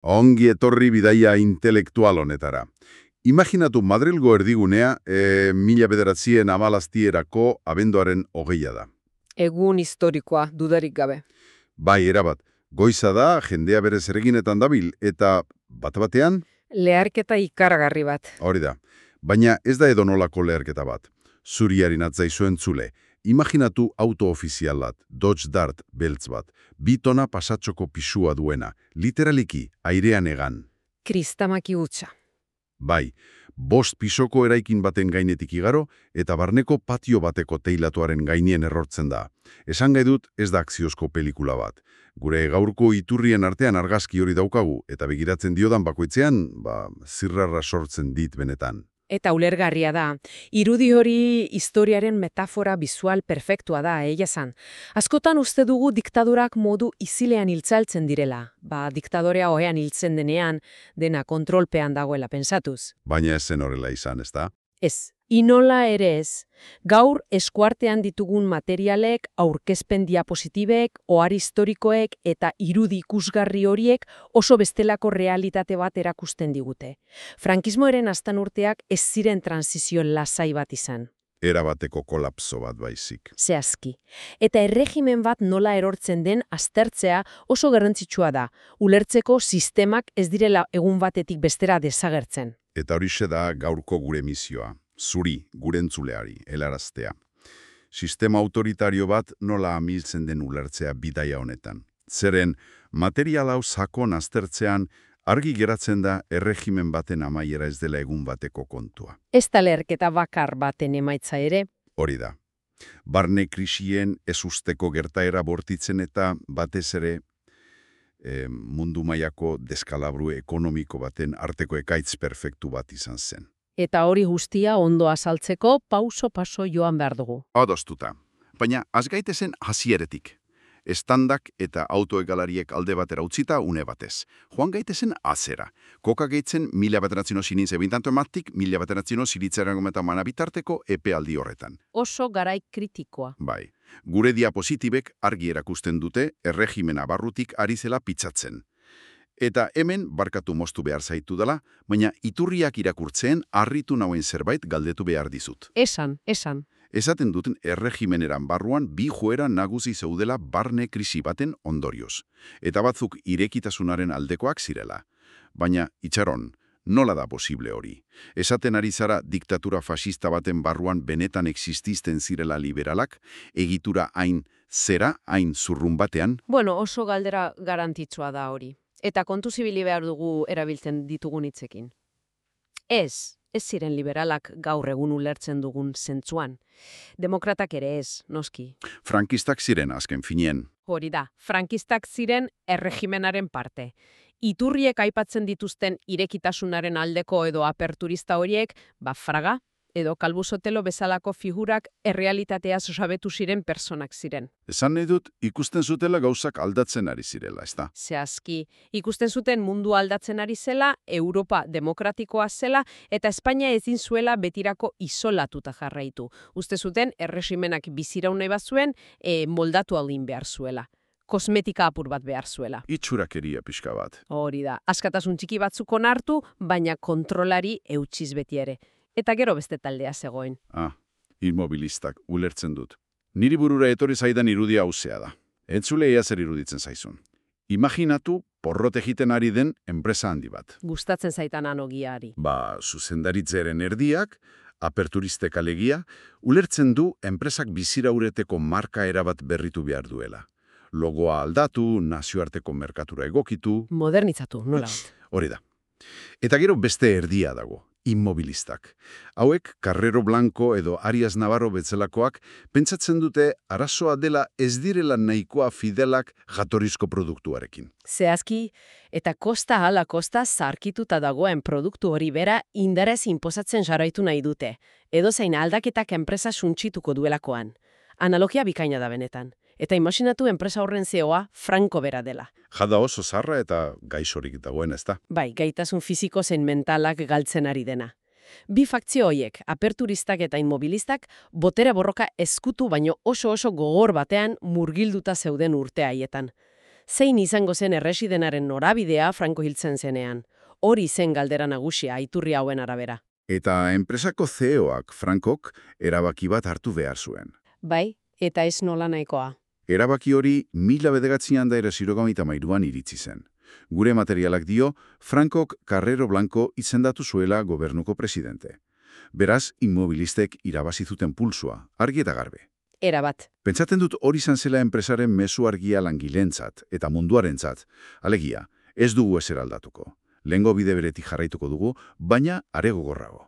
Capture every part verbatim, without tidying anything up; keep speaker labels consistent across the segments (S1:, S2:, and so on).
S1: Ongi etorri bidaia intelektual honetara. Imaginatu Madrilgo erdigunea e, mila bederatzien amalaztierako abenduaren hogeia da.
S2: Egun historikoa, dudarik gabe.
S1: Bai, erabat, goiza da, jendea bere zereginetan dabil, eta bat-batean,
S2: Leharketa ikaragarri bat.
S1: hori da, baina ez da edonolako leherketa bat. Zuriarin atzaizuen zule, imaginatu auto ofizial bat, Dodge Dart beltz bat, bi tona pasatxoko pisua duena, literaliki, airean egan.
S2: Kristamaki hutsa.
S1: Bai, bost pisoko eraikin baten gainetik igaro eta barneko patio bateko teilatuaren gainien errortzen da. Esan gai dut ez da akziozko pelikula bat. Gure gaurko iturrien artean argazki hori daukagu eta begiratzen diodan bakoitzean, ba, zirrarra sortzen dit benetan.
S2: Eta ulergarria da. Irudi hori historiaren metafora bizual perfektua da, egia zan. Askotan uste dugu diktadurak modu izilean hiltzaltzen direla. Ba, diktadorea ohean hiltzen denean, dena kontrolpean dagoela pensatuz.
S1: Baina ez zen horrela izan, ez da?
S2: Ez, inola ere ez. Gaur eskuartean ditugun materialek, aurkezpen diapositibek, ohar historikoek eta irudi ikusgarri horiek oso bestelako realitate bat erakusten digute. Frankismoaren aztan urteak ez ziren transizio lasai bat izan.
S1: Erabateko kolapso bat baizik.
S2: Zehazki. Eta erregimen bat nola erortzen den aztertzea oso garrantzitsua da. Ulertzeko sistemak ez direla egun batetik bestera desagertzen.
S1: Eta horixe da gaurko gure misioa, zuri, gure entzuleari, helaraztea. Sistema autoritario bat nola amiltzen den ulertzea bidaia honetan. Zeren, material hau sakon aztertzean, argi geratzen da erregimen baten amaiera ez dela egun bateko kontua.
S2: Ez da leherketa bakar baten emaitza ere.
S1: Hori da. Barne krisien ez usteko gertaera bortitzen eta batez ere e, mundu mailako deskalabru ekonomiko baten arteko ekaitz perfektu bat izan zen.
S2: Eta hori guztia ondo azaltzeko pauso-paso joan behar dugu.
S1: Adostuta. Baina az gaitezen hasieretik. Estandak eta autoegalariek alde batera utzita une batez. Joan gaitezen azera. Koka gaitzen mila bateratzino sinin zebintanto ematik, mila bateratzino ziritzaren gometa manabitarteko epealdi horretan.
S2: Oso garai kritikoa.
S1: Bai. Gure diapositibek argi erakusten dute erregimena barrutik ari zela pitzatzen. Eta hemen barkatu moztu behar zaitu dela, baina iturriak irakurtzen harritu nauen zerbait galdetu behar dizut.
S2: Esan, esan.
S1: Esaten duten erregimeneran barruan bi joera nagusi zeudela barne krisi baten ondorioz. Eta batzuk irekitasunaren aldekoak zirela. Baina, itxaron, nola da posible hori? Esaten ari zara diktatura fascista baten barruan benetan exististen zirela liberalak, egitura hain zera, hain zurrun batean?
S2: Bueno, oso galdera garantitsua da hori. Eta kontu zibili behar dugu erabiltzen ditugun hitzekin. Ez. Ez ziren liberalak gaur egun ulertzen dugun zentzuan. Demokratak ere ez, noski.
S1: Frankistak ziren azken finien.
S2: Hori da, frankistak ziren erregimenaren parte. Iturriek aipatzen dituzten irekitasunaren aldeko edo aperturista horiek, ba Fraga edo Calvo Sotelo bezalako figurak errealitateaz osabetu ziren personak ziren.
S1: Esan nahi dut, ikusten zutela gauzak aldatzen ari zirela, ezta?
S2: Zehazki, ikusten zuten mundu aldatzen ari zela, Europa demokratikoa zela, eta Espainia ezin zuela betirako isolatuta jarraitu. Uste zuten, erregimenak biziraun nahi bazuen, e, moldatu aldin behar zuela. Kosmetika apur bat behar zuela.
S1: Itxurakeria pixka bat.
S2: Hori da, askatasun txiki batzuk onartu, baina kontrolari eutxiz beti ere. Eta gero beste taldea zegoen.
S1: Ah, immobilistak, ulertzen dut. Niri burura etorri zaidan irudia hauzea da. Entzule ea zer iruditzen zaizun. Imaginatu porrot egiten ari den enpresa handi bat.
S2: Gustatzen zaitan anogiari.
S1: Ba, zuzendaritzeren erdiak, aperturistek alegia, ulertzen du enpresak biziraureteko marka erabat berritu behar duela. Logoa aldatu, nazioarteko merkatura egokitu.
S2: Modernitzatu, nola bat.
S1: Hori da. Eta gero beste erdia dago. Immobilistak. Hauek, Carrero Blanco edo Arias Navarro betzelakoak, pentsatzen dute arazoa dela ez direla nahikoa fidelak jatorrizko produktuarekin.
S2: Zehazki, eta kosta ala kosta zarkituta dagoen produktu hori bera indarez inposatzen jarraitu nahi dute. Edo zein aldaketak enpresa suntsituko duelakoan. Analogia bikaina da benetan. Eta imaginatu enpresa horren zeoa franko bera dela.
S1: Jada oso zarra eta gaixorik dagoen, ezta?
S2: Bai, gaitasun fisiko zein mentalak galtzen ari dena. Bi fakzio hoiek, aperturistak eta inmobilistak, botere borroka ezkutu baino oso oso gogor batean murgilduta zeuden urte haietan. Zein izango zen erresidenaren norabidea Franco hiltzen zenean? Hori zen galdera nagusia iturri hauen arabera.
S1: Eta enpresako C E Oak Frankok erabaki bat hartu behar zuen.
S2: Bai, eta ez nola nahikoa.
S1: Erabaki hori mila bederatzian da hirurogeita hamairuan iritsi zen. Gure materialak dio, Frankok Carrero Blanco izendatu zuela gobernuko presidente. Beraz, inmobilistek irabazi zuten pulsua, argi eta garbe.
S2: Erabat.
S1: Pentsatzen dut hori izan zela enpresaren mezu argia langilentzat eta munduarentzat. Alegia, ez dugu ezer aldatuko. Lehengo bide beretik jarraituko dugu, baina are gogorrago.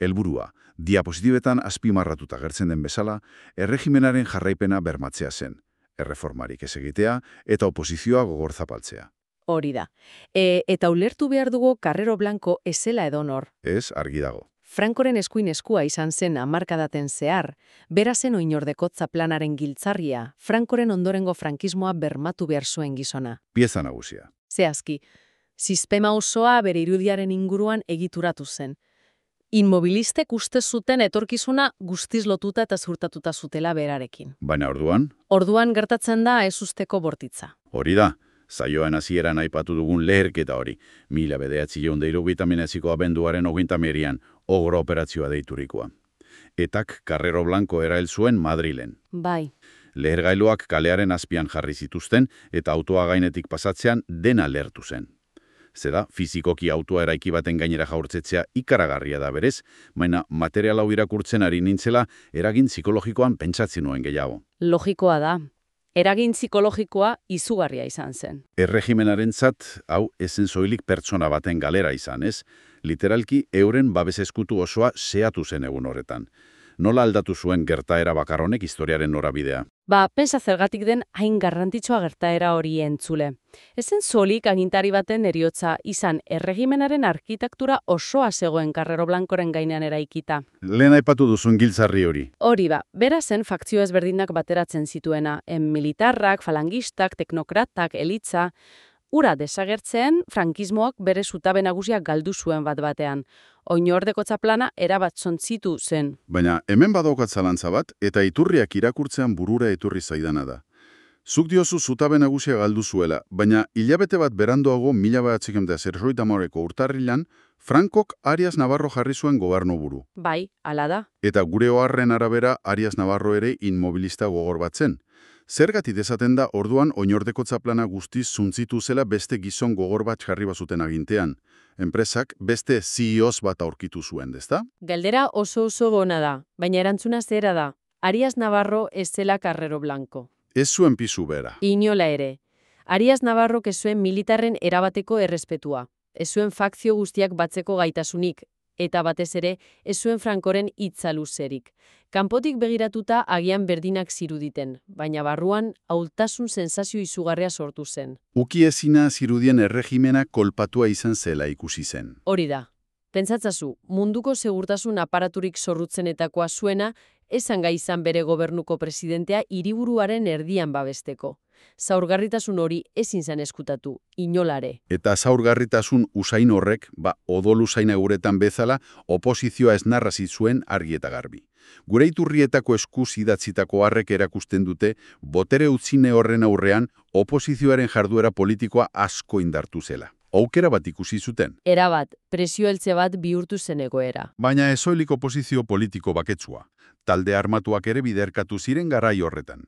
S1: Helburua, diapositibetan azpimarratuta gertzen den bezala, erregimenaren jarraipena bermatzea zen. Erreformarik ez egitea eta oposizioa gogor zapaltzea.
S2: Hori da. E, eta ulertu behar dugu Carrero Blanco ezela edonor.
S1: Ez, argi dago.
S2: Frankoren eskuin eskua izan zen hamarkadaten zehar, bera zen oinordekotza planaren giltzarria, Frankoren ondorengo frankismoa bermatu behar zuen gizona.
S1: Pieza nagusia.
S2: Zehazki, sistema osoa bere irudiaren inguruan egituratu zen. Inmobilistek uste zuten etorkizuna guztiz lotuta eta ziurtatuta zutela berarekin.
S1: Baina orduan?
S2: Orduan gertatzen da ez usteko bortitza.
S1: Hori da. Saioan hasieran aipatu dugun leherketa hori. Mila bederatziehun eta hirurogeita hemeretziko abenduaren hogeita hamairuan Ogro operazioa deiturikoa. Etak Carrero Blanco erail zuen Madrilen.
S2: Bai.
S1: Lehergailuak kalearen azpian jarri zituzten eta autoa gainetik pasatzean dena lehertu zen. Zera, fizikoki autoa eraiki baten gainera jaurtzetzea ikaragarria da berez, baina material hau irakurtzen ari nintzela eragin psikologikoan pentsatzen nuen gehiago.
S2: Logikoa da. Eragin psikologikoa izugarria izan zen.
S1: Erregimenarentzat hau ezen soilik pertsona baten galera izan, ez? Literalki euren babes eskutu osoa seatu zen egun horretan. Nola aldatu zuen gertaera bakar honek historiaren norabidea?
S2: Ba, pensa zergatik den hain garrantzitsua gertaera hori entzule. Ezen solik agintari baten heriotza izan erregimenaren arkitektura osoa zegoen Carrero Blancoren gainean eraikita.
S1: Lehen aipatu duzun giltzarri hori.
S2: Hori ba, bera zen fakzio ezberdinak bateratzen zituena, en militarrak, falangistak, teknokratak, elitza. Ura desagertzen, frankismoak bere zutabe nagusiak galdu zuen bat batean. Oinordekotza plana erabat zontzitu zen.
S1: Baina hemen badaukat zalantza bat, eta iturriak irakurtzean burura eturri zaidana da. Zuk diozu zutabe nagusia galdu zuela, baina hilabete bat beranduago mila bederatziehun eta hirurogeita hamareko urtarrilan, Frankok Arias Navarro jarri zuen gobernuburu.
S2: Bai, hala da.
S1: Eta gure oharren arabera Arias Navarro ere inmobilista gogor bat zen. Zergatik esaten da orduan oinordekotza plana guztiz zuntzitu zela beste gizon gogor bat jarri bazuten agintean. Enpresak beste C E Os bat aurkitu zuen, ezta?
S2: Galdera oso oso gona da, baina erantzuna zera da. Arias Navarro ez zela Carrero Blanco.
S1: Ez zuen pisu bera.
S2: Inola ere. Arias Navarro ez zuen militarren erabateko errespetua. Ez zuen fakzio guztiak batzeko gaitasunik, eta batez ere ez zuen Frankoren hitza luzerik. Kanpotik begiratuta agian berdinak ziruditen, baina barruan ahultasun sensazio izugarria sortu zen.
S1: Uki ezina zirudien erregimena kolpatua izan zela ikusi zen.
S2: Hori da. Pentsatzazu, munduko segurtasun aparaturik zorrutzenetakoa zuena, esan gai izan bere gobernuko presidentea hiriburuaren erdian babesteko. Zaurgarritasun hori ezin zen eskutatu, inolare.
S1: Eta zaurgarritasun usain horrek, ba, odol usain guretan bezala, oposizioa ez narrazi zuen argi eta garbi. Gure iturrietako eskuz idatzitako harrek erakusten dute, botere utzine horren aurrean, oposizioaren jarduera politikoa asko indartu zela. Aukera bat ikusi zuten.
S2: Erabat, presio heltze bat bihurtu zen egoera.
S1: Baina ez soilik oposizio politiko baketsua. Talde armatuak ere biderkatu ziren garai horretan.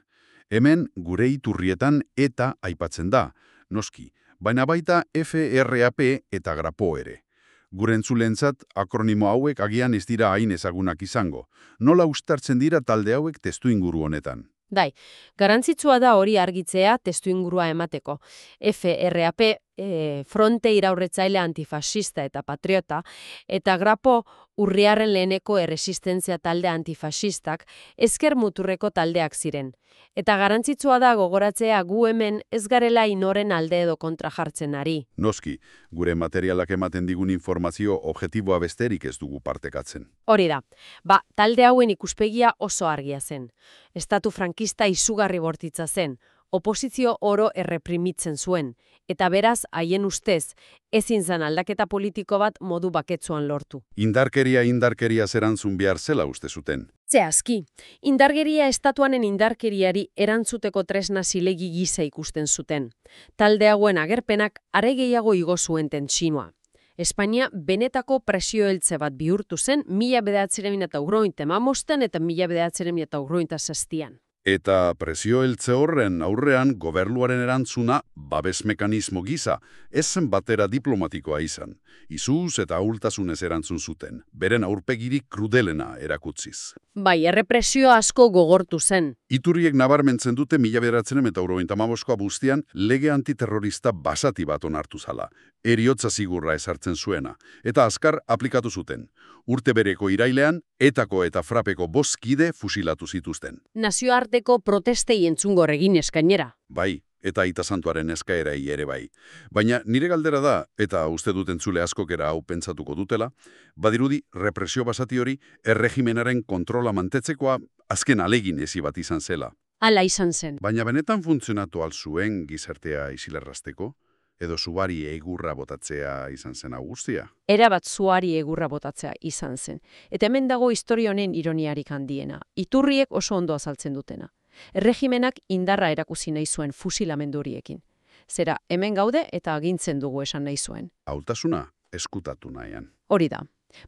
S1: Hemen gure iturrietan eta aipatzen da, noski, baina baita F R A P eta Grapo ere. Gure entzulentzat akronimo hauek agian ez dira hain ezagunak izango. Nola uztartzen dira talde hauek testuinguru honetan?
S2: Dai, garrantzitsua da hori argitzea testuingurua emateko. F R A P, e, Fronte Iraurretzaile Antifasista eta Patriota, eta Grapo Urriaren leheneko erresistentzia talde antifasistak ezker muturreko taldeak ziren. Eta garrantzitsua da gogoratzea gu hemen ez garela inoren alde edo kontra jartzen ari.
S1: Noski, gure materialak ematen digun informazio objektiboa besterik ez dugu partekatzen.
S2: Hori da, ba, talde hauen ikuspegia oso argia zen. Estatu frankista izugarri bortitza zen, oposizio oro erreprimitzen zuen, eta beraz, haien ustez, ezin zen aldaketa politiko bat modu baketsuan lortu.
S1: Indarkeria indarkeria zerantzun behar zela uste zuten.
S2: Zehazki, indargeria estatuanen indarkeriari erantzuteko tresna zilegi gisa ikusten zuten. Talde hauen agerpenak are gehiago igo zuen tentsioa. Espainia benetako presioeltze bat bihurtu zen mila bederatziehun eta hirurogeita hamabostean eta mila bederatziehun eta hirurogeita zazpian.
S1: Eta presio heltze horren aurrean gobernuaren erantzuna babes mekanismo gisa, ez zen batera diplomatikoa izan. Izuz eta ahultasunez erantzun zuten, beren aurpegirik krudelena erakutziz.
S2: Bai, errepresio asko gogortu zen.
S1: Iturriek nabarmentzen dute mila bederatziehun eta hirurogeita hamaboskoa bustian lege antiterrorista basati bat onartu zala, heriotza zigurra ezartzen zuena, eta azkar aplikatu zuten. Urte bereko irailean, etako eta frapeko bost kide fusilatu zituzten.
S2: Nazioarteko protestei entzungor egin eskainera.
S1: Bai, eta aita santuaren eskaerai ere bai. Baina nire galdera da, eta uste dut entzule askokera hau pentsatuko dutela, badirudi represio basati hori erregimenaren kontrola mantetzekoa azken alegin ezi bat izan zela.
S2: Hala izan zen.
S1: Baina benetan funtzionatu al zuen gizartea isilerrazteko? Edo zuari egurra botatzea izan zen guztia?
S2: Erabat zuari egurra botatzea izan zen. Eta hemen dago historia honen ironiarik handiena. Iturriek oso ondo azaltzen dutena. Erregimenak indarra erakusi nahi zuen fusilamendu horiekin. Zera, hemen gaude eta agintzen dugu esan nahi zuen.
S1: Hautasuna eskutatu nahian.
S2: Hori da.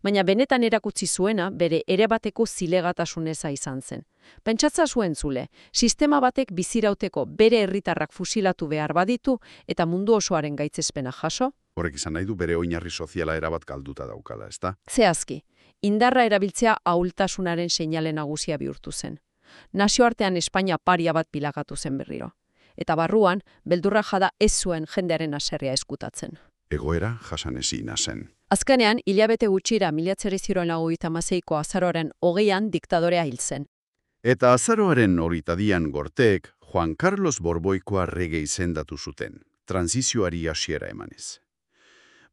S2: Baina benetan erakutsi zuena bere erebateko zilegatasuneza izan zen. Pentsatza zuen zule, sistema batek bizirauteko bere herritarrak fusilatu behar baditu eta mundu osoaren gaitzespena jaso?
S1: Horrek izan nahi du bere oinarri soziala erabat galduta daukala, ezta?
S2: Zehazki, indarra erabiltzea ahultasunaren seinale nagusia bihurtu zen. Nazioartean Espainia paria bat bilakatu zen berriro. Eta barruan, beldurra jada ez zuen jendearen haserrea eskutatzen.
S1: Egoera jasanezina zen.
S2: Azkenean, hilabete gutxira mila bederatziehun eta hogeita hamaseiko azaroaren hogeian diktadorea hil zen.
S1: Eta azaroaren hogeita bian gorteek Juan Carlos Borboikoa rege izendatu zuten, transizioari hasiera emanez.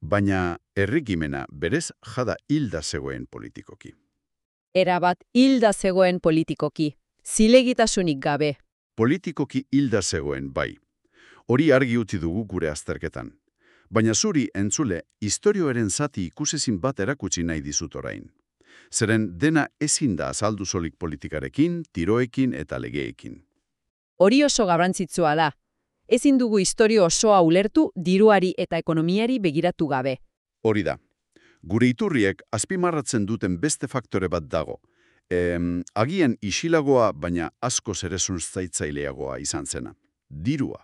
S1: Baina erregimena berez jada hilda zegoen politikoki.
S2: Erabat hilda zegoen politikoki, zilegitasunik gabe.
S1: Politikoki hilda zegoen bai. Hori argi utzi dugu gure azterketan. Baina zuri entzule, historioaren zati ikusezin bat erakutsi nahi dizut orain. Zeren dena ezin da azaldu solik politikarekin, tiroekin eta legeekin.
S2: Hori oso garrantzitsua da. Ezin dugu historio osoa ulertu diruari eta ekonomiari begiratu gabe.
S1: Hori da. Gure iturriek azpimarratzen duten beste faktore bat dago. Em, agian isilagoa, baina asko zerezun zaitzaileagoa izan zena. Dirua,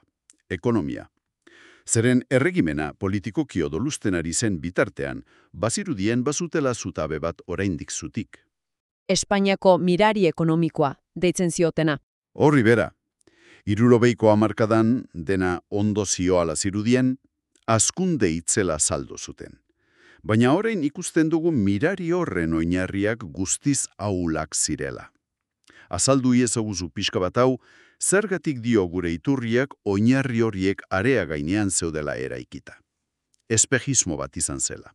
S1: ekonomia. Zeren erregimena politikoki odolusten ari zen bitartean, bazirudien bazutela zutabe bat oraindik zutik.
S2: Espainiako mirari ekonomikoa, deitzen ziotena.
S1: Horri bera, hirurogeiko hamarkadan dena ondo zioala zirudien, hazkunde itzela saldo zuten. Baina orain ikusten dugu mirari horren oinarriak guztiz ahulak zirela. Azaldu iezaguzu pixka bat hau, zergatik dio gure iturriak oinarri horiek area gainean zeudela eraikita. Espejismo bat izan zela.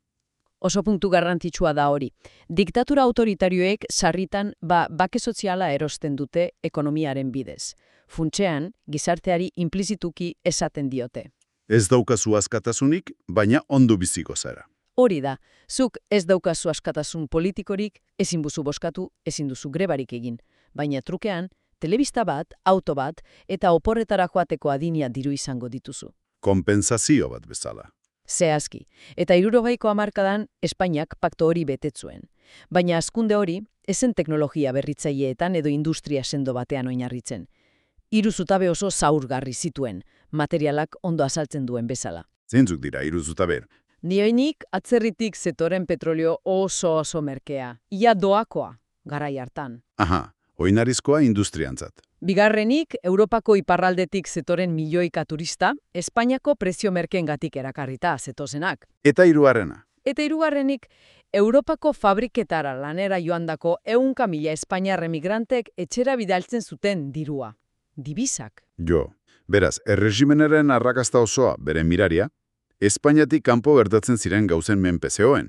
S2: Oso puntu garrantzitsua da hori. Diktatura autoritarioek sarritan ba bake soziala erosten dute ekonomiaren bidez. Funtsean, gizarteari inplizituki esaten diote.
S1: Ez daukazu askatasunik, baina ondo biziko zara.
S2: Hori da, zuk ez daukazu askatasun politikorik, ezin buzu boskatu, ezin duzu grebarik egin. Baina trukean, telebista bat, auto bat eta oporretara joateko adinia diru izango dituzu.
S1: Kompensazio bat bezala.
S2: Zehazki, eta hirurogeiko hamarkadan Espainiak pakto hori betetzuen. Baina hazkunde hori, ezen teknologia berritzaileetan edo industria sendo batean oinarritzen. Hiru zutabe oso zaurgarri zituen, materialak ondo azaltzen duen bezala.
S1: Zeintzuk dira hiru zutabe?
S2: Nioinik atzerritik zetoren petrolio oso oso merkea, ia doakoa, garai hartan.
S1: Aha, oinarizkoa industriantzat.
S2: Bigarrenik, Europako iparraldetik zetoren milioika turista, Espainiako prezio merkeengatik erakarrita zetozenak.
S1: Eta hirugarrena.
S2: Eta hirugarrenik, Europako fabriketara lanera joandako ehunka mila Espainiar emigrantek etxera bidaltzen zuten dirua. Dibisak.
S1: Jo, beraz, erregimenaren arrakasta osoa, bere miraria, Espainiatik kanpo gertatzen ziren gauzen menpe zegoen.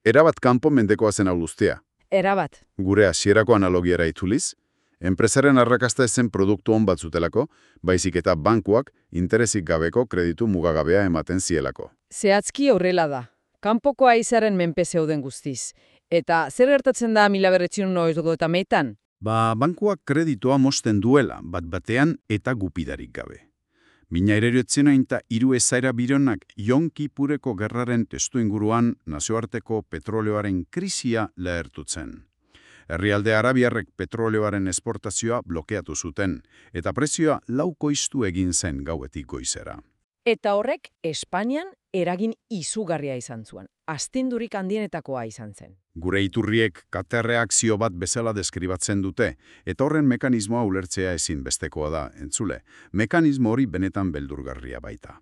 S1: Erabat kanpo mendekoa zen hau guztia.
S2: Erabat.
S1: Gure hasierako analogiara itzuliz, enpresaren arrakasta ezen produktu on bat zutelako, baizik eta bankuak interesik gabeko kreditu mugagabea ematen zielako.
S2: Zehazki horrela da. Kanpoko haizaren menpe zeuden guztiz. Eta zer gertatzen da mila bederatziehun eta hogeita hamaikan?
S1: Ba, bankuak kreditoa mozten duela, bat batean eta gupidarik gabe. Mina ereriotzen eta hiru ezaera bironak Yom Kipureko gerraren testu inguruan nazioarteko petroleoaren krisia lehertutzen. Herrialde arabiarrek petroleoaren esportazioa blokeatu zuten, eta prezioa laukoiztu egin zen gauetik goizera.
S2: Eta horrek Espainian eragin izugarria izan zuen. Astindurik handienetakoa izan zen.
S1: Gure iturriek katerreakzio bat bezala deskribatzen dute, eta horren mekanismoa ulertzea ezin bestekoa da, entzule. Mekanismo hori benetan beldurgarria baita.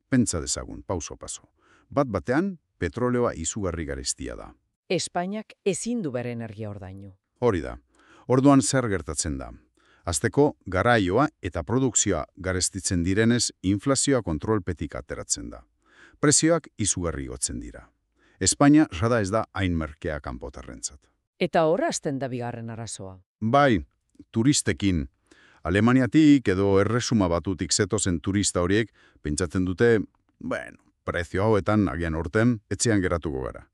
S1: Pentsa dezagun, pauso paso. Bat batean, petroleoa izugarri garestia da.
S2: Espainiak ezin du bere energia ordainu.
S1: Hori da. Orduan zer gertatzen da. Azteko, garaioa eta produkzioa garestitzen direnez, inflazioa kontrolpetik ateratzen da. Prezioak izugarri gotzen dira. Espainia sada ez da hain merkea kanpotarrentzat.
S2: Eta horra hasten da bigarren arazoa.
S1: Bai, turistekin. Alemaniatik edo erresuma batutik zetozen turista horiek pentsatzen dute, bueno, prezio hauetan agian orten etxean geratuko gara.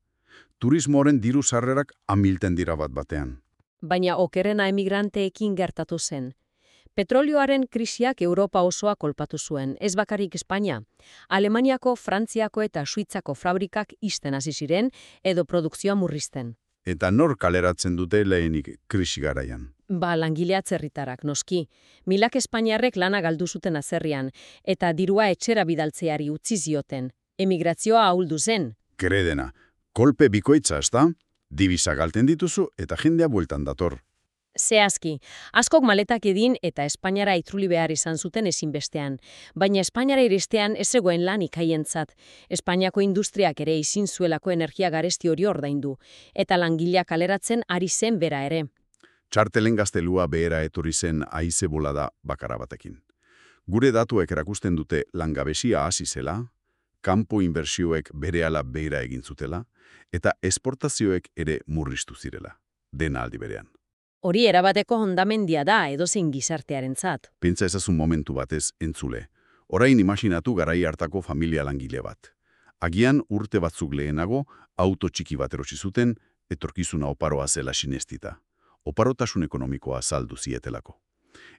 S1: Turismoaren diru sarrerak amilten dira bat batean.
S2: Baina okerrena emigranteekin gertatu zen. Petrolioaren krisiak Europa osoa kolpatu zuen, ez bakarrik Espainia. Alemaniako, Frantziako eta Suitzako fabrikak ixten hasi ziren edo produkzioa murrizten.
S1: Eta nor kaleratzen dute lehenik krisi garaian?
S2: Ba, langile atzerritarrak, noski. Milak Espainiarrek lana galdu zuten azerrian, eta dirua etxera bidaltzeari utzi zioten. Emigrazioa ahuldu zen.
S1: Kredena, kolpe bikoitza, ez da? Dibisa galten dituzu eta jendea bueltan dator.
S2: Zehazki, askok maletak edin eta Espainiara itzuli behar izan zuten ezinbestean. Baina Espainiara iristean ez zegoen lan ikaientzat. Espainiako industriak ere ezin zuelako energia garesti hori ordaindu. Eta langileak kaleratzen ari zen bera ere.
S1: Txartelen gaztelua behera etorri zen haize bolada bakara batekin. Gure datuek erakusten dute langabesia hasi zela, kanpo inbertsioek berehala behera egin zutela, eta esportazioek ere murriztu zirela, dena aldi berean.
S2: Hori erabateko hondamendia da edozein gizartearentzat.
S1: Pentsa ezazun momentu batez entzule. Orain imaginatu garai hartako familia langile bat. Agian urte batzuk lehenago, auto txiki bat erosi zuten, etorkizuna oparoa zela sinestita. Oparotasun ekonomikoa saldu zietelako.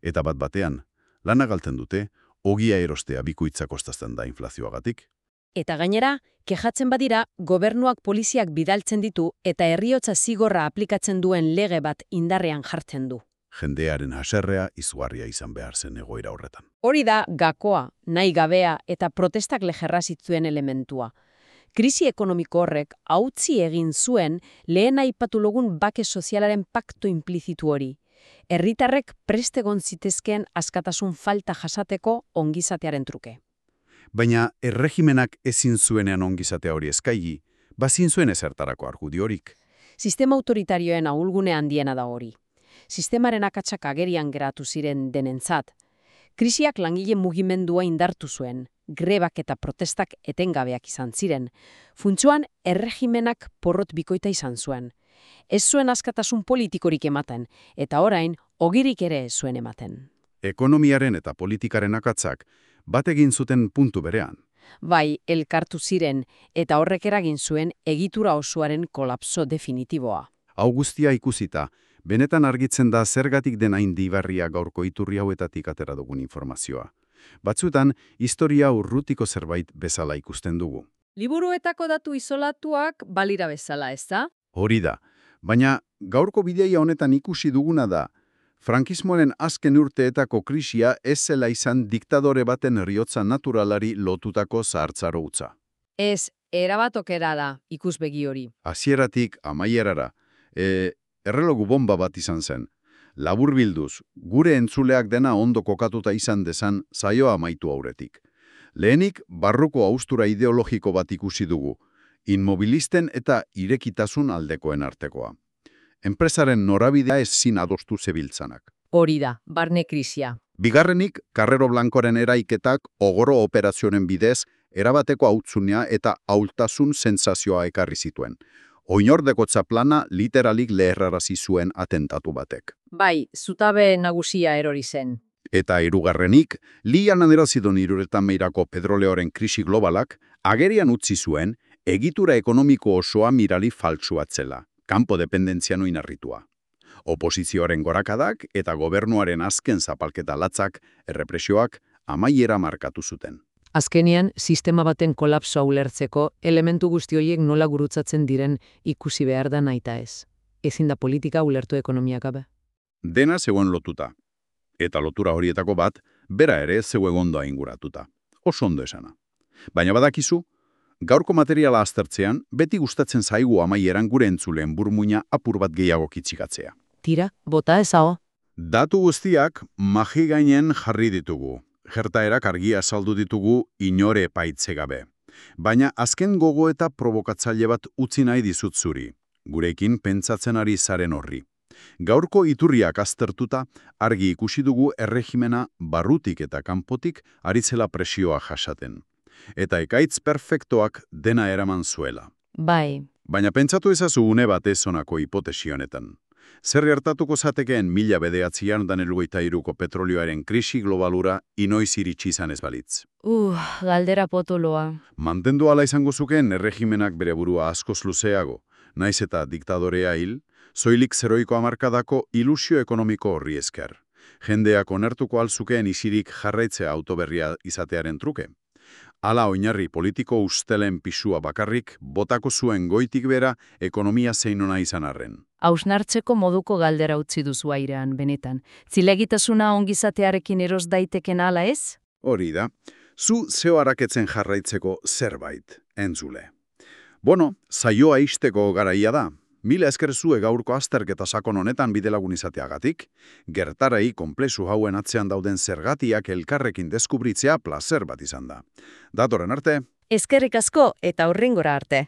S1: Eta bat batean, lana galtzen dute, ogia erostea bikoitza kostazten da inflazioagatik.
S2: Eta gainera, kejatzen badira, gobernuak poliziak bidaltzen ditu eta herriotza zigorra aplikatzen duen lege bat indarrean jartzen du.
S1: Jendearen haserrea izugarria izan behar zen egoera horretan.
S2: Hori da gakoa, nahi gabea eta protestak lejerra zitzuen elementua. Krisi ekonomiko horrek hautzi egin zuen lehen aipatu logun bake sozialaren pakto implizitu hori. Herritarrek prest egon zitezkeen askatasun falta jasateko ongizatearen truke.
S1: Baina erregimenak ezin zuenean ongizatea hori eskaigi, bazin zuen ezertarako argudiorik.
S2: Sistema autoritarioen ahulgune handiena da hori. Sistemaren akatsak agerian geratu ziren denentzat. Krisiak langile mugimendua indartu zuen, grebak eta protestak etengabeak izan ziren. Funtsuan, erregimenak porrot bikoita izan zuen. Ez zuen askatasun politikorik ematen, eta orain, ogirik ere ez zuen ematen.
S1: Ekonomiaren eta politikaren akatsak bat egin zuten puntu berean.
S2: Bai, elkartu ziren, eta horrek eragin zuen egitura osoaren kolapso definitiboa.
S1: Hau guztia ikusita, benetan argitzen da zergatik den hain dibarria gaurko iturri hauetatik atera dugun informazioa. Batzuetan, historia urrutiko zerbait bezala ikusten dugu.
S2: Liburuetako datu isolatuak balira bezala, ez da?
S1: Hori da, baina gaurko bideia honetan ikusi duguna da, frankismoaren azken urteetako krisia ez zela izan diktadore baten heriotza naturalari lotutako zahartzaro utza.
S2: Ez, erabatokera da ikusbegi hori.
S1: Hasieratik amaierara, e, errelogu bomba bat izan zen. Laburbilduz, gure entzuleak dena ondo kokatuta izan dezan saioa amaitu aurretik. Lehenik, barruko haustura ideologiko bat ikusi dugu, inmobilisten eta irekitasun aldekoen artekoa. Enpresaren norabidea ezin adostu zebiltzanak.
S2: Hori da, barne krisia.
S1: Bigarrenik, Carrero Blancoren eraiketak ogoro operazioen bidez erabateko hautzunea eta ahultasun sentsazioa ekarri zituen. Oinordekotza plana literalik leherrarazi zuen atentatu batek.
S2: Bai, zutabe nagusia erori zen.
S1: Eta hirugarrenik, lian anerazidon hiruretan meirako petroleoren krisi globalak agerian utzi zuen egitura ekonomiko osoa mirali faltsuatzela. kanpo dependentzian oinarritua. Oposizioaren gorakadak eta gobernuaren azken zapalketa latzak, errepresioak, amaiera markatu zuten.
S2: Azkenean, sistema baten kolapsoa ulertzeko, elementu guzti horiek nola gurutzatzen diren ikusi behar da nahita ez. Ezin da politika ulertu ekonomia gabe.
S1: Dena zegoen lotuta. Eta lotura horietako bat, bera ere zegoen ondo inguratuta. Oso ondo esana. Baina badakizu, gaurko materiala aztertzean, beti gustatzen zaigu amaieran gure entzuleen burmuina apur bat gehiago kitzikatzea.
S2: Tira, bota ezao.
S1: Datu guztiak magi gainen jarri ditugu. Gertaerak argia azaldu ditugu inore epaitze gabe. Baina azken gogo eta provokatzaile bat utzi nahi dizut zuri. Gurekin pentsatzen ari zaren horri. Gaurko iturriak aztertuta argi ikusi dugu erregimena barrutik eta kanpotik ari zela presioa jasaten. Eta ekaitz perfektoak dena eraman zuela.
S2: Bai.
S1: Baina pentsatu ezazu une batez honako hipotesi honetan. Zer gertatuko zatekeen mila bederatzian da hirurogeita hiruko petrolioaren krisi globalura inoiz iritsi izan ez balitz.
S2: Uh, galdera potoloa.
S1: Mantendu ala izango zukeen erregimenak bere burua askoz luzeago, naiz eta diktadorea hil, soilik zeroiko hamarkadako ilusio ekonomiko horri esker. Jendeak onartuko alzukeen isirik jarraitzea autoberria izatearen truke. Hala oinarri politiko ustelen pisua bakarrik, botako zuen goitik bera ekonomia zeinona izan arren.
S2: Hausnartzeko moduko galdera utzi duzu airean, benetan. Zilegitasuna ongizatearekin eros daiteken ala ez?
S1: Hori da, zu zeo haraketzen jarraitzeko zerbait, entzule. Bueno, saioa ixteko garaia da. Mila esker zue gaurko azterketa sakon honetan bidelagun izateagatik, gertarai konplexu hauen atzean dauden zergatiak elkarrekin deskubritzea plazer bat izan da. Datorren arte.
S2: Eskerrik asko eta hurrengora arte.